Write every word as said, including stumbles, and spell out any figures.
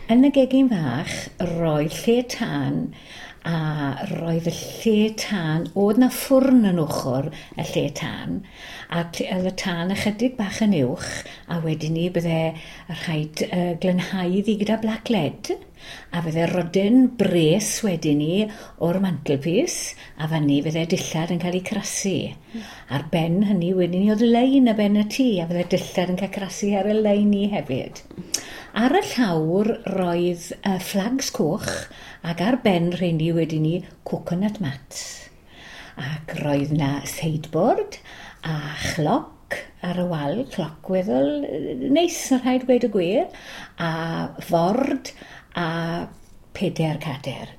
Yn y gegin fach roedd lle tân a roedd y lle tân, oedd 'na ffwrn yn ochr y lle tân a oedd y tân ychydig bach yn uwch a wedyn 'ny bydde rhaid uh, glanhau iddi gyda black lead a fydde rodyn bres wedyn 'ny o'r mantelpiece a fanny fydde dillad yn cael eu crasu. Ar ben hynny wedyn 'ny oedd lein ar ben y tŷ a fydde dillad yn cael crasu ar y lein 'ny hefyd. Ar y llawr roedd uh, flags coch ac ar ben rheini wedyn 'ny coconut mats. Ac roedd 'na sideboard a chloc ar y wal, cloc weddol neis yn rhaid gweud y gwir, a ford a pedair cader.